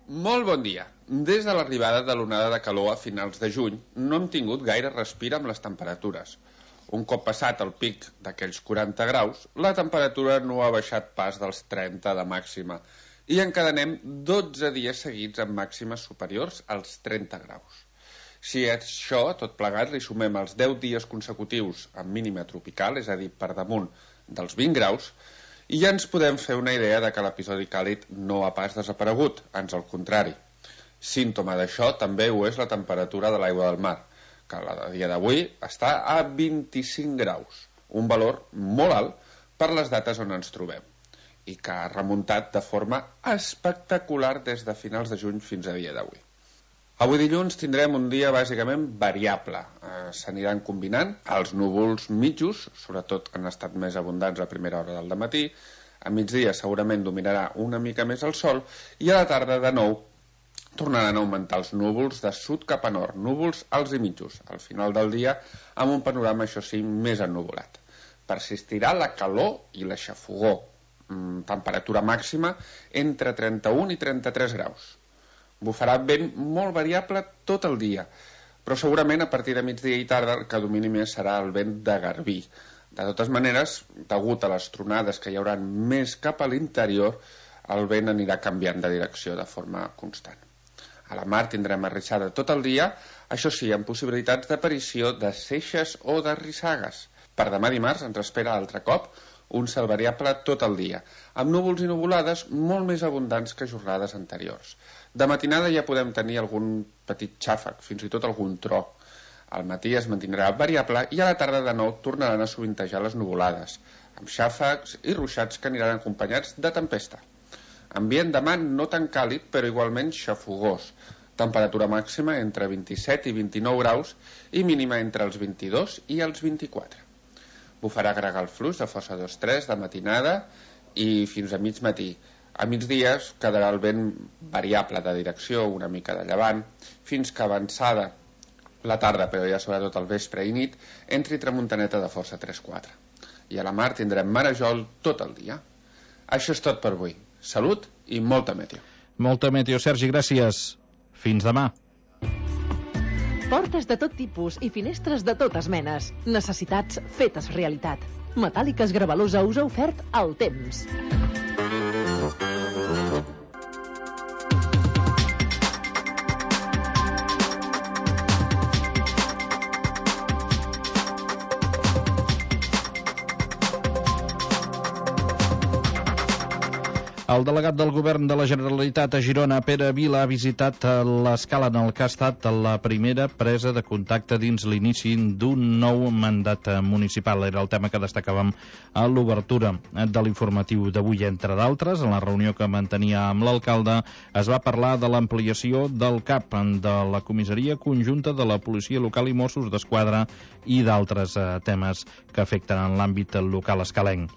Molt bon dia. Des de l'arribada de l'onada de calor a finals de juny no hem tingut gaire respir amb les temperatures. Un cop passat el pic d'aquells 40 graus, la temperatura no ha baixat pas dels 30 de màxima i encadenem 12 dies seguits amb màximes superiors als 30 graus. Si a això, tot plegat, li sumem els 10 dies consecutius amb mínima tropical, és a dir, per damunt dels 20 graus, i ja ens podem fer una idea de que l'episodi càlid no ha pas desaparegut, ans al contrari. Símptoma d'això també ho és la temperatura de l'aigua del mar, que a dia d'avui està a 25 graus, un valor molt alt per les dates on ens trobem, i que ha remuntat de forma espectacular des de finals de juny fins a dia d'avui. Avui dilluns tindrem un dia bàsicament variable. S'aniran combinant els núvols mitjos, sobretot han estat més abundants a primera hora del dematí, a migdia segurament dominarà una mica més el sol i a la tarda de nou tornaran a augmentar els núvols de sud cap a nord, núvols alts i mitjos, al final del dia amb un panorama, això sí, més ennuvolat. Persistirà la calor i la xafogor, temperatura màxima entre 31 i 33 graus. Bufarà vent molt variable tot el dia, però segurament a partir de migdia i tarda el que domini més serà el vent de garbí. De totes maneres, degut a les tronades que hi haurà més cap a l'interior, el vent anirà canviant de direcció de forma constant. A la mar tindrem arrissada tot el dia, això sí, amb possibilitats d'aparició de seixes o de rissagues. Per demà dimarts ens espera altre cop un cel variable tot el dia, amb núvols i nuvolades molt més abundants que jornades anteriors. De matinada ja podem tenir algun petit xàfec, fins i tot algun tro. Al matí es mantindrà variable i a la tarda de nou tornaran a sovintejar les nuvolades, amb xàfecs i ruixats que aniran acompanyats de tempesta. Ambient demà no tan càlid, però igualment xafogós. Temperatura màxima entre 27 i 29 graus i mínima entre els 22 i els 24. Bufarà gregal fluix de força 2-3 de matinada i fins a mig matí. A migdia quedarà el vent variable de direcció, una mica de llevant, fins que avançada la tarda, però ja sobretot al vespre i nit, entri tramuntaneta de força 3-4. I a la mar tindrem marejol tot el dia. Això és tot per avui. Salut i molta meteo. Molta meteo, Sergi, gràcies. Fins demà. Portes de tot tipus i finestres de totes menes. Necessitats fetes realitat. Metàl·liques Gravalusa us ha ofert el temps. El delegat del govern de la Generalitat a Girona, Pere Vila, ha visitat l'escala en el que ha estat la primera presa de contacte dins l'inici d'un nou mandat municipal. Era el tema que destacàvem a l'obertura de l'informatiu d'avui. Entre d'altres, en la reunió que mantenia amb l'alcalde, es va parlar de l'ampliació del CAP, de la comissaria conjunta de la policia local i Mossos d'Esquadra i d'altres temes que afecten en l'àmbit local escalenc.